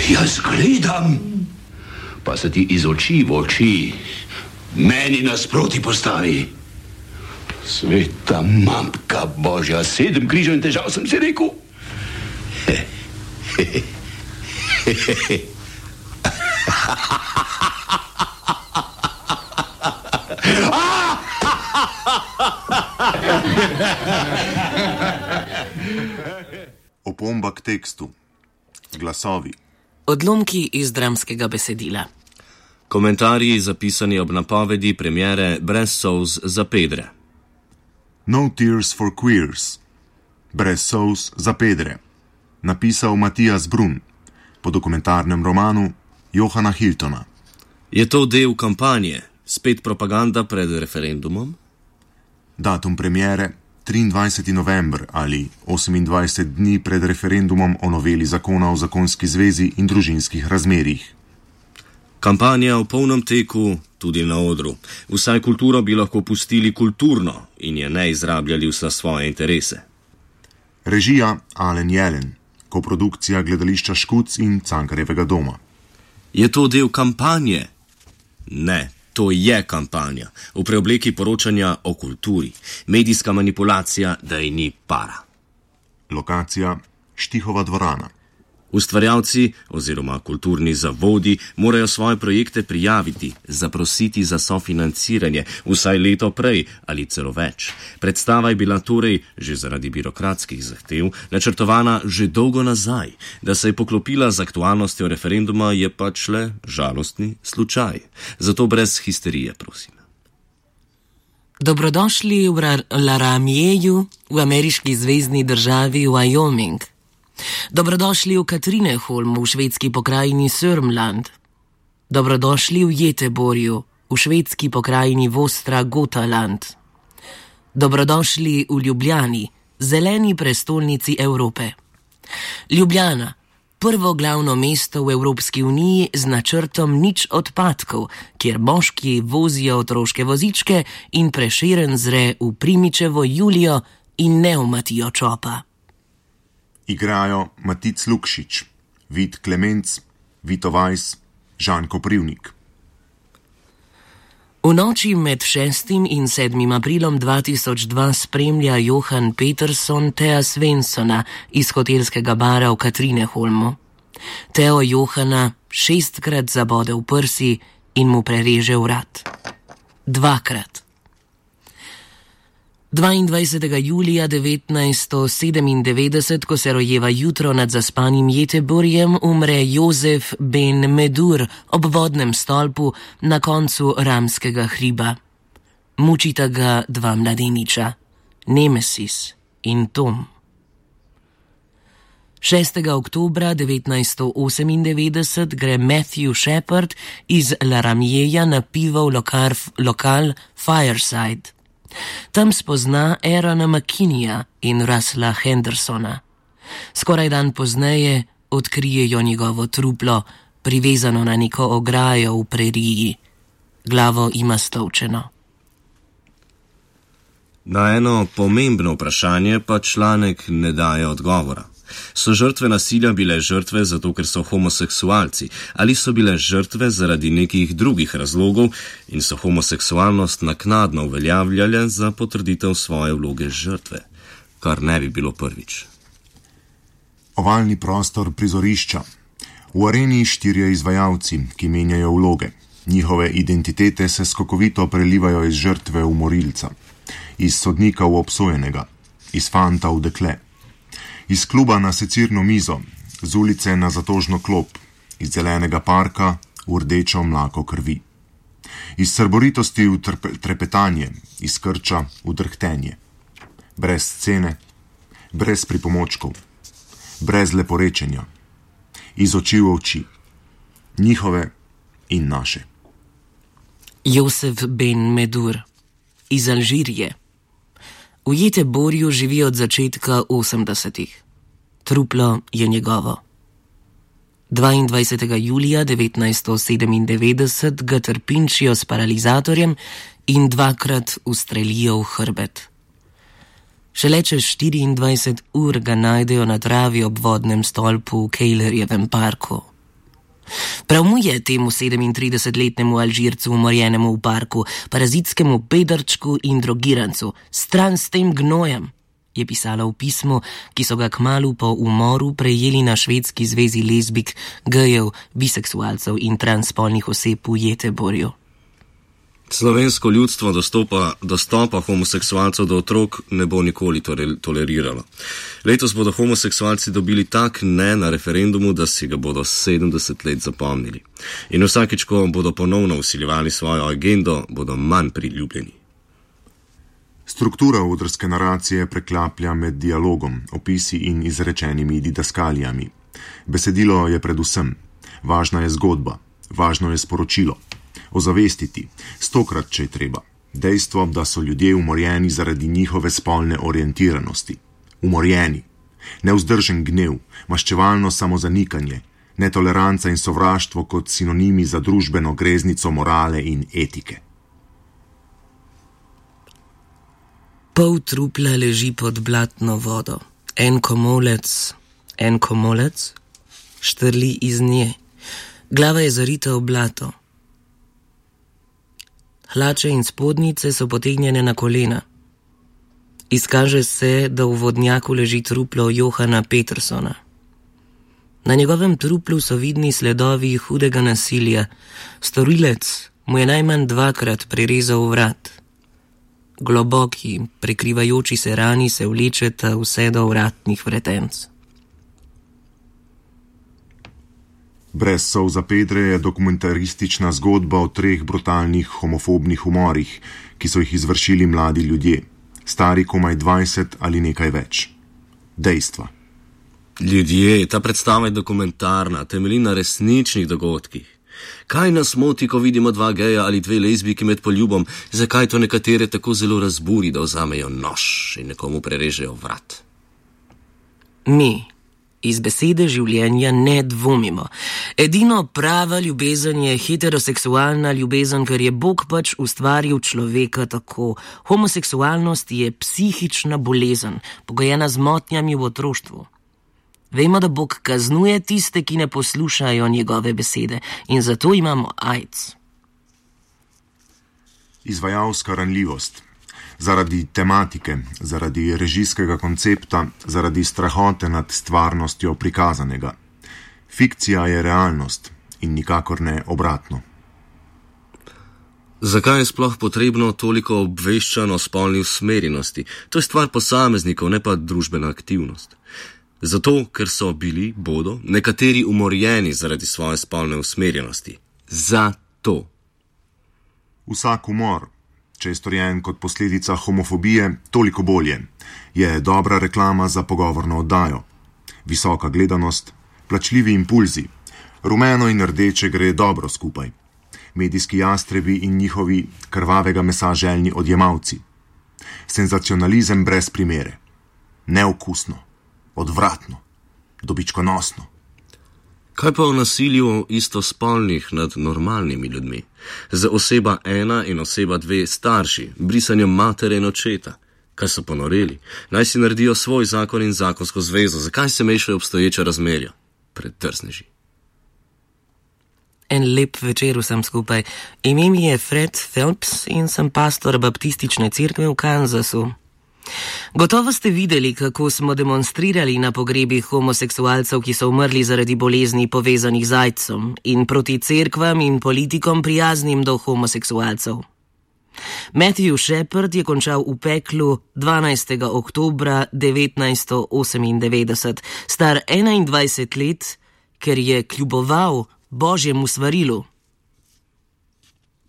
Jaz gledam, pa se ti iz oči v oči meni nasproti postavi. Sveta mamka Božja, 7 križev in težav sem si rekel. Opomba k tekstu. Glasovi. Odlomki iz dramskega besedila. Komentarji zapisani ob napovedi premiere Brez solz za pedre. No Tears for Queers. Brez solz za pedre. Napisal Matijas Brun po dokumentarnem romanu Johana Hiltona. Je to del kampanje? Spet propaganda pred referendumom? Datum premiere 23. november ali 28 dni pred referendumom o noveli zakona o zakonski zvezi in družinskih razmerjih. Kampanja v polnem teku, tudi na odru. Vsaj kulturo bi lahko pustili kulturno in je ne izrabljali vsa svoje interese. Režija Alen Jelen, koprodukcija gledališča Škuc in Cankarjevega doma. Je to del kampanje? Ne. To je kampanja, v preobleki poročanja o kulturi, medijska manipulacija, da ji ni para. Lokacija Štihova dvorana. Ustvarjalci oziroma kulturni zavodi morajo svoje projekte prijaviti, zaprositi za sofinanciranje vsaj leto prej ali celo več. Predstava je bila torej, že zaradi birokratskih zahtev, načrtovana že dolgo nazaj. Da se je poklopila z aktualnostjo referenduma, je pač le žalostni slučaj. Zato brez histerije, prosim. Dobrodošli v Laramieju, v ameriški zvezni državi Wyoming. Dobrodošli v Katrineholmu, v švedski pokrajini Sörmland. Dobrodošli v Göteborgu, v švedski pokrajini Västra Götaland. Dobrodošli v Ljubljani, zeleni prestolnici Evrope. Ljubljana, prvo glavno mesto v Evropski uniji z načrtom nič odpadkov, kjer moški vozijo otroške vozičke in Prešeren zre v Primičevo Julijo in ne v Matijo Čopa. Igrajo Matic Lukšič, Vid Klemenc, Vito Vajs, Žan Koprivnik. V noči med 6. in 7. aprilom 2002 spremlja Johan Peterson Thea Svenssona iz hotelskega bara v Katrineholmu. Theo Johana 6-krat zabode v prsi in mu prereže vrat. 2-krat. 22. julija 1997, ko se rojeva jutro nad zaspanim Göteborgom, umre Jozef Ben Medur ob vodnem stolpu na koncu Ramskega hriba. Mučita ga 2 mladeniča, Nemesis in Tom. 6. oktobra 1998 gre Matthew Shepard iz Laramieja na pivo v lokal Fireside. Tam spozna Aarona McKinneyja in Russella Hendersona. Skoraj dan pozneje odkrijejo njegovo truplo, privezano na neko ograjo v preriji. Glavo ima stolčeno. Na eno pomembno vprašanje pa članek ne daje odgovora. So žrtve nasilja bile žrtve zato, ker so homoseksualci, ali so bile žrtve zaradi nekih drugih razlogov in so homoseksualnost naknadno uveljavljale za potrditev svoje vloge žrtve, kar ne bi bilo prvič. Ovalni prostor prizorišča. V areni 4 izvajalci, ki menjajo vloge. Njihove identitete se skokovito prelivajo iz žrtve v morilca, iz sodnika v obsojenega, iz fanta v dekle. Iz kluba na secirno mizo, z ulice na zatožno klop, iz zelenega parka v rdečo mlako krvi. Iz srboritosti v trepetanje, iz krča v drhtenje. Brez scene, brez pripomočkov, brez leporečenja. Iz oči v oči. Njihove in naše. Josef Ben Medur iz Alžirije. V Göteborgu živi od začetka 80-ih. Truplo je njegovo. 22. julija 1997 ga trpinčijo s paralizatorjem in 2-krat ustrelijo v hrbet. Šele čez 24 ur ga najdejo na travi ob vodnem stolpu v Kejlerjevem parku. Prav mu je, temu 37-letnemu Alžircu umorjenemu v parku, parazitskemu bedrčku in drogirancu, stran s tem gnojem, je pisala v pismu, ki so ga kmalu po umoru prejeli na Švedski zvezi lezbik, gejev, biseksualcev in transspolnih oseb v Göteborgu. Slovensko ljudstvo dostopa homoseksualcev do otrok ne bo nikoli toleriralo. Letos bodo homoseksualci dobili tak ne na referendumu, da si ga bodo 70 let zapomnili. In vsakič, ko bodo ponovno vsiljevali svojo agendo, bodo manj priljubljeni. Struktura odrske naracije preklaplja med dialogom, opisi in izrečenimi didaskalijami. Besedilo je predvsem. Važna je zgodba, važno je sporočilo. Ozavestiti, 100-krat, če je treba, dejstvo, da so ljudje umorjeni zaradi njihove spolne orientiranosti. Umorjeni, nevzdržen gnev, maščevalno samozanikanje, netoleranca in sovraštvo kot sinonimi za družbeno greznico morale in etike. Pol trupla leži pod blatno vodo. En komolec, štrli iz nje. Glava je zarita v blato. Hlače in spodnjice so potegnjene na kolena. Izkaže se, da v vodnjaku leži truplo Johana Petersona. Na njegovem truplu so vidni sledovi hudega nasilja. Storilec mu je najmanj 2-krat prerezal vrat. Globoki, prekrivajoči se rani se vlečeta vse do vratnih vretenc. Brez solza Pedre je dokumentaristična zgodba o 3 brutalnih homofobnih umorih, ki so jih izvršili mladi ljudje, stari komaj 20 ali nekaj več. Dejstva. Ljudje, ta predstava je dokumentarna, temelji na resničnih dogodkih. Kaj nas moti, ko vidimo 2 geja ali 2 lezbijke med poljubom, zakaj to nekatere tako zelo razburi, da vzamejo nož in nekomu prerežejo vrat? Mi iz besede življenja ne dvomimo. Edino prava ljubezen je heteroseksualna ljubezen, ker je Bog pač ustvaril človeka tako. Homoseksualnost je psihična bolezen, pogojena z motnjami v otroštvu. Vemo, da Bog kaznuje tiste, ki ne poslušajo njegove besede, in zato imamo AIDS. Izvajalska ranljivost. Zaradi tematike, zaradi režijskega koncepta, zaradi strahote nad stvarnostjo prikazanega. Fikcija je realnost in nikakor ne obratno. Zakaj je sploh potrebno toliko obveščano o spolni usmerjenosti? To je stvar posameznikov, ne pa družbena aktivnost. Zato, ker bodo nekateri umorjeni zaradi svoje spolne usmerjenosti. Zato. Vsak umor, če je storjen kot posledica homofobije, toliko bolje. Je dobra reklama za pogovorno oddajo. Visoka gledanost, plačljivi impulzi, rumeno in rdeče gre dobro skupaj. Medijski jastrebi in njihovi krvavega mesa željni odjemalci. Senzacionalizem brez primere. Neokusno, odvratno, dobičkonosno. Kaj pa o nasilju istospolnih nad normalnimi ljudmi? Za oseba 1 in oseba 2 starši, brisanjem matere in očeta. Kaj so ponoreli? Naj si naredijo svoj zakon in zakonsko zvezo. Zakaj se mešajo obstoječa razmerja? Predrzneži. En lep večer vsem skupaj. Ime mi je Fred Phelps in sem pastor baptistične cerkve v Kansasu. Gotovo ste videli, kako smo demonstrirali na pogrebih homoseksualcev, ki so umrli zaradi bolezni povezanih z AIDS-om, in proti cerkvam in politikom prijaznim do homoseksualcev. Matthew Shepard je končal v peklu 12. oktobra 1998, star 21 let, ker je kljuboval Božjemu svarilu.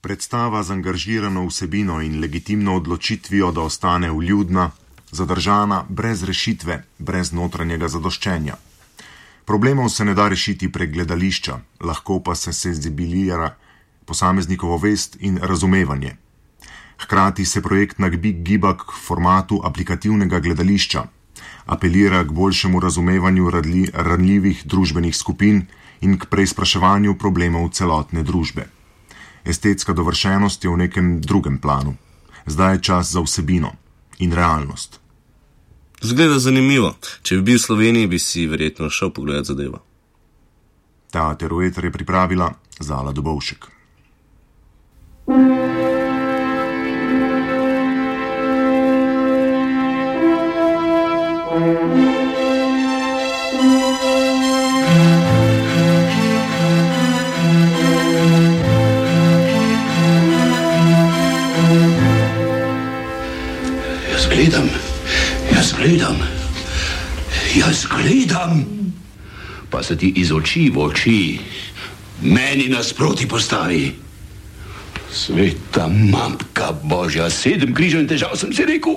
Predstava z angažirano vsebino in legitimno odločitvijo, da ostane vljudna, zadržana, brez rešitve, brez notranjega zadoščenja. Problemov se ne da rešiti prek gledališča, lahko pa se senzibilira posameznikovo vest in razumevanje. Hkrati se projekt nagiba k formatu aplikativnega gledališča, apelira k boljšemu razumevanju ranljivih družbenih skupin in k preizpraševanju problemov celotne družbe. Estetska dovršenost je v nekem drugem planu. Zdaj je čas za vsebino in realnost. Zgleda zanimivo. Če bi bil v Sloveniji, bi si verjetno šel pogledat zadevo. Ta terometer je pripravila Zala Dobovšek. Jaz gledam, pa se ti iz oči v oči meni nasproti postavi. Sveta matka Božja, 7 križev in težav sem si rekel.